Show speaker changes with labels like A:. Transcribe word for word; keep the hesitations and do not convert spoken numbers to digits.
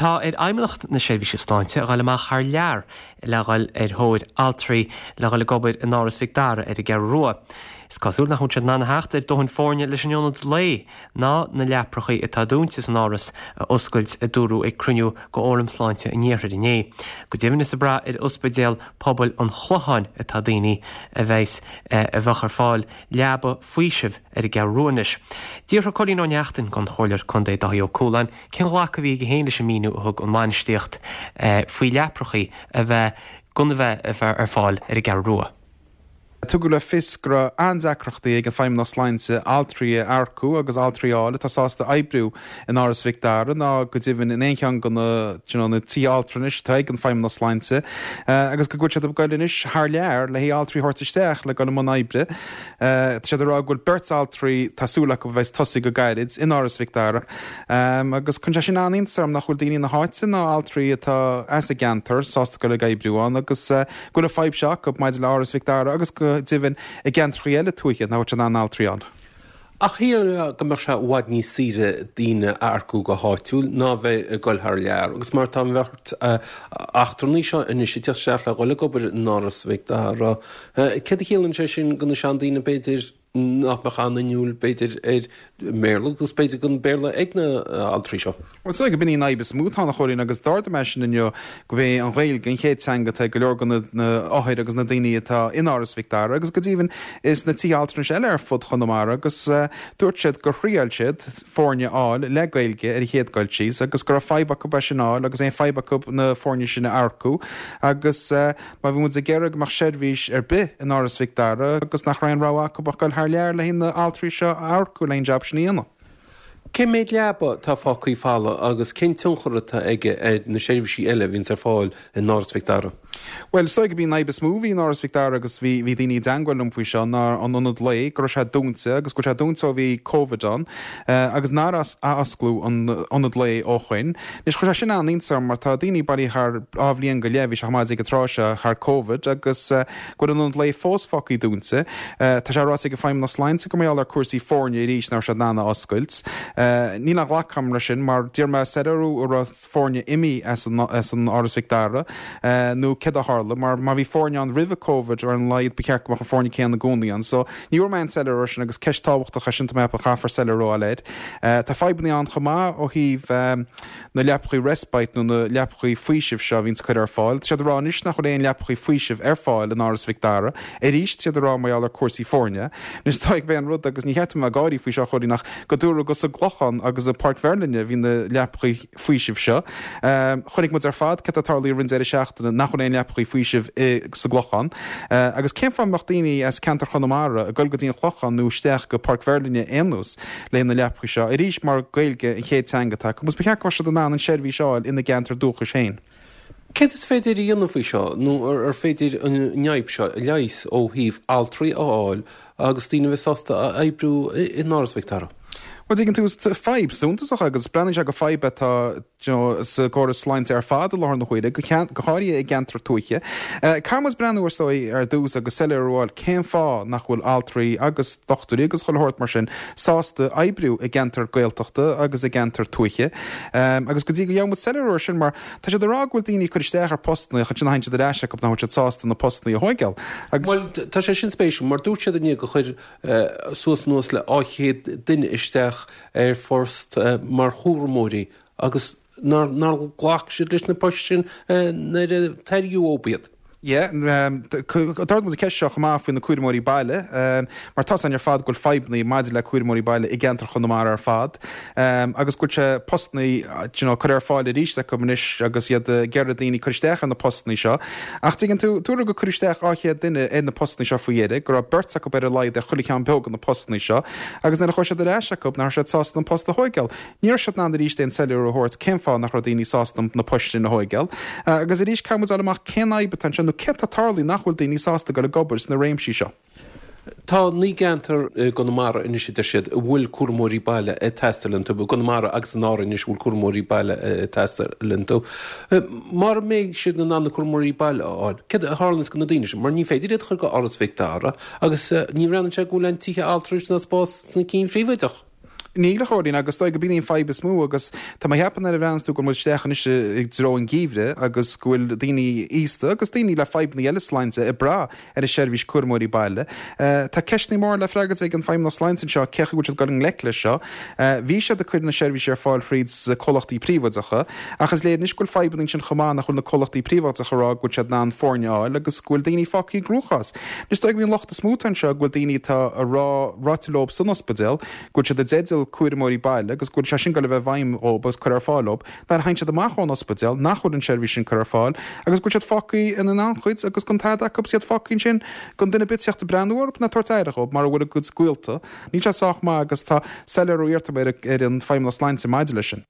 A: Tá ar Fheidhmeannacht na Seirbhíse Sláinte a ghabháil amach thar lear le dhul ar thóir altraí le dhul ag obair in Áras Mhic Dara ar an gCeathrú Rua. Is cosúil nach bhfuil siad in ann a theacht ar dóthain foirne leis an ionad lae ná na leaprachaí atá dúnta san áras a oscailt a dúradh ag cruinniú de Fhóram Sláinte an Iarthair inné. Go deimhin is ag brath ar Ospidéal Pobail an Chlocháin atá daoine a bheas a bheadh ar fáil leaba faoisimh ar an gCeathrú Rua anois. D'fhiafraigh Cóilín Ó Neachtain den Chomhairleoir Contae Dáithí Ó Cualáin cén ghlacadh a bhí aige féin leis an míniú a thug an bhainistíocht faoi leaprachaí a bheith gan a bheith ar fáil ar an gCeathrú Rua.
B: Tugadh le fios go raibh an-deacrachtaí ag an Feidhmeannas Sláinte altraí a earcú agus altraí a fháil atá sásta oibriú in Áras Mhic Dara ná go deimhin in aon cheann de na na tithe altranais atá ag an Feidhmeannas Sláinte agus go bhfuil siad ag goil anois thar lear le haghaidh altraí a thabhairt isteach le dul i mbun oibre. Tá siad ag rá go bhfuil beirt altraí tá súil acu a bheith tosaí go gairid in Áras Mhic Dara agus cuireann sé sin an-iontas orm nach bhfuil daoine na háite ná altraí atá as an gceantar sásta dul ag oibriú ann agus go bhfuil an fadhb seo acu maidir le Áras Mhic Dara agus go deimhin i gceantracha eile tuaithe nach bhfuil siad in ann altraí ann.
C: Ach shílfeá go mbeadh sé i bhfad níos saoire daoine a earcú go háitiúil ná bheith ag dul thar lear, agus mar tá an bheirt eachtrannaí seo anois ag teacht isteach le dhul ag obair in Áras Mhic Dara, céard a chiallaíonn sé sin do na seandaoine b'fhéidir nach mbeadh an-inniúil b'fhéidir ar mBéarla agus b'fhéidir gan Béarla ag na altraí seo.
B: Bhuel, is dóigh gurb in í an fhadhb is mó atá ann a Chóilín agus d'ardaigh mé sin inniu gurb é an Ghaeilge an chéad teanga atá ag go leor de na hothair agus na daoine atá in Áras Mhic Dara agus go deimhin is na tithe altranais eile ar fud Chonamara agus dúirt siad gur thriail siad foirne a fháil le Gaeilge ar an chéad dul síos agus go raibh fadhb acu é sin a fháil agus aon fadhb acu na foirne sin a earcú agus má bhí muid ag iarraidh go mbeadh seirbhís ar bith in Áras Mhic Dara agus nach raibh aon rogha acu ach dul thar lear le na altraí seo a earcú le an job sin a dhéanamh.
C: Cé méid leaba atá fágtha folamh agus cén tionchar atá aige ar na seirbhísí eile a bhíonns ar fáil in Áras Mhic Dara?
B: Well, is dóigh gurb í an fhadhb is mó a bhí in Áras Mhic Dara agus bhí bhí daoine i dteagmháil liom faoi seo ná an ionad lae go raibh sé dúnta agus go raibh sé dúnta ó bhí Covid ann agus nár osclaíodh an ionad lae ó shin. Anois chuir sé sin an-iontas orm mar tá daoine bailithe thar dhá bhliain go leith bhí sé chomh maith ag an tráth seo thar Covid agus go bhfuil an ionad lae fós fágtha dúnta. Tá sé ráite ag an Feidhmeannas Sláinte go mbeidh ar cúrsaí foirne arís nach raibh siad in ann a oscailt. Níl aon ghlacadh agam leis sin mar d'iarr mé soiléiriú an raibh foirne imithe as an as an Áras Mhic Dara nó céard a tharla mar má bhí foirne ann roimh Covid ar an laghad ba cheart go mbeadh an foirne céanna i gcónaí ann. So ní bhfuair mé an soiléiriú sin agus ceist tábhachtach é sin tá mé a chaithfear soiléiriú a fháil air. Tá fadhbanna ann chomh maith ó thaobh na leapachaí respite nó na leapachaí faoisimh seo a bhíonns curtha ar fáil. Tá siad ag rá anois nach bhfuil aon leapachaí faoisimh ar fáil in Áras Mhic Dara. Arís tá siad ag rá mar gheall ar cúrsaí foirne. Anois tá ag bheith an rud agus ní cheart dom a bheith ag gáirí faoi seo Chóilín ach go dúradh go sa gClochán agus i Páirc Mherlin a bhí na leapachaí faoisimh seo. Chonaic muid ar fad céard a tharla i rith an deireadh seachtaine nach bhfuil aon leapachaí faoisimh sa gClochán. Agus cén fáth a mbeadh daoine as ceantar Chonamara ag dul go dtí an Clochán nó isteach go Páirc Mherlin aon nós le na leapachaí seo. Arís mar Gaeilge an chéad teanga atá acu, ba cheart go mbeadh siad in ann an seirbhís a fháil ina gceantar dúchais féin.
C: Céard is féidir a dhéanamh faoi seo nó ar féidir an fhadhb seo a leigheas ó thaobh altraí a fháil agus daoine bheith sásta a oibriú in Áras Mhic Dara?
B: Well tuigeann tú fadhb suntasach agus breathnaíonn sé go fadhb atá you know, sa gcóras sláinte ar fad i láthair na huaire, go háirithe i gceantar tuaithe. Caithfidh muid breathnú ar dóigh ar dtús agus soiléiriú a fháil cén fáth nach bhfuil altraí agus dochtúirí agus chuile shórt mar sin sásta oibriú i gceantar Gaeltachta agus i gceantar tuaithe. Um, agus go dtí go bhfaighidh muid soiléiriú ar sin mar tá siad ag rá go bhfuil daoine ag cur isteach ar postanna chun sin a siad ar ais acu nach bhfuil siad sásta na postanna a thógáil.
C: Agus Well tá sé sin spéisiúil mar dúirt siad inné gur chuir uh, suas anuas le dhá chéad duine isteach ar phost uh, mar chúramóirí agus nár nár ghlac siad leis na poist sin uh, nuair a tairgeadh dóibh iad.
B: Yeah, um, D'ardaigh muid ceist seo chomh maith faoi na cúramóirí baile, um, mar tá ar fad go bhfuil fadhbanna maidir le cúramóirí baile i gceantar Chonamara ar fad, um, agus go bhfuil sé postanna you know, cur ar fáil arís acu anois agus iad ag iarraidh daoine cur isteach ar na postanna seo. Ach tuigeann tú dúradh gur cuireadh isteach dhá chéad duine ar na postanna seo faoi dheireadh, go raibh beirt acu ar a laghad ar chuile cheann beag na postanna seo, agus nuair a chuir siad ar ais acu nach raibh siad sásta an post a thógáil. Ní raibh siad in ann arís aon soiléiriú a thabhairt cén fáth nach raibh daoine sásta na poist sin a thógáil. Uh, agus arís caithfidh muid amach cén fhadhb atá anseo nó céard atá ag tarlú nach bhfuil daoine sásta dul ag obair sna réimsí seo.
C: Tá naoi gceantar i gConamara anois a deir siad a bhfuil cúramóirí baile ag teastáil iontu, Conamara agus in Árainn anois bhfuil cúramóirí baile ag teastáil iontu. Mura mbeidh siad in ann na cúramóirí baile a fháil, céard a tharlaíonn do na daoine sin, mar ní féidir iad a chur go Áras Mhic Dara agus ní bhreathnaíonn sé go bhfuil aon tithe altranais ná spás sna cinn phríobháideach.
B: Níl, a Chóilín, agus is dóigh gurb in í an fadhb is mó agus tá mé a cheapadh nuair a bhreathnaíonns tú go bhfuil muid isteach anois i dtreo an gheimhridh agus go bhfuil daoine aosta agus daoine le fadhbanna eile sláinte ag brath ar an seirbhís cúramóirí baile. Tá ceisteanna móra le freagairt ag an Feidhmeannas Sláinte anseo cén chaoi a bhfuil siad ag dul i ngleic leis seo. Bhí siad ag cur na seirbhísí ar fáil thríd comhlachtaí príobháideacha ach is léir anois go bhfuil fadhbanna ansin chomh maith nach bhfuil na comhlachtaí príobháideacha ag rá go bhfuil siad in ann foirne a fháil agus go bhfuil daoine fágtha i gcruachás. Is dóigh gurb í an locht is mó atá anseo go bhfuil daoine atá a rá ráite leo san ospidéal go bhfuil siad i dteideal cúramóirí baile agus go bhfuil sé sin ag goil a bheith i bhfeidhm dhóibh agus curtha ar fáil dhóibh nuair a théann siad amach ón ospidéal nach bhfuil an seirbhís sin curtha ar fáil agus go bhfuil siad fágtha ina n-anchuid agus gan tada acu is iad fágtha ansin gan duine ar bith teacht ag breathnú orthu ná tabhairt aire dhóibh mara bhfuil a gcuid gaolta. Níl sé sách maith agus tá soiléiriú iarrta ar an Feidhmeannas Sláinte maidir leis sin.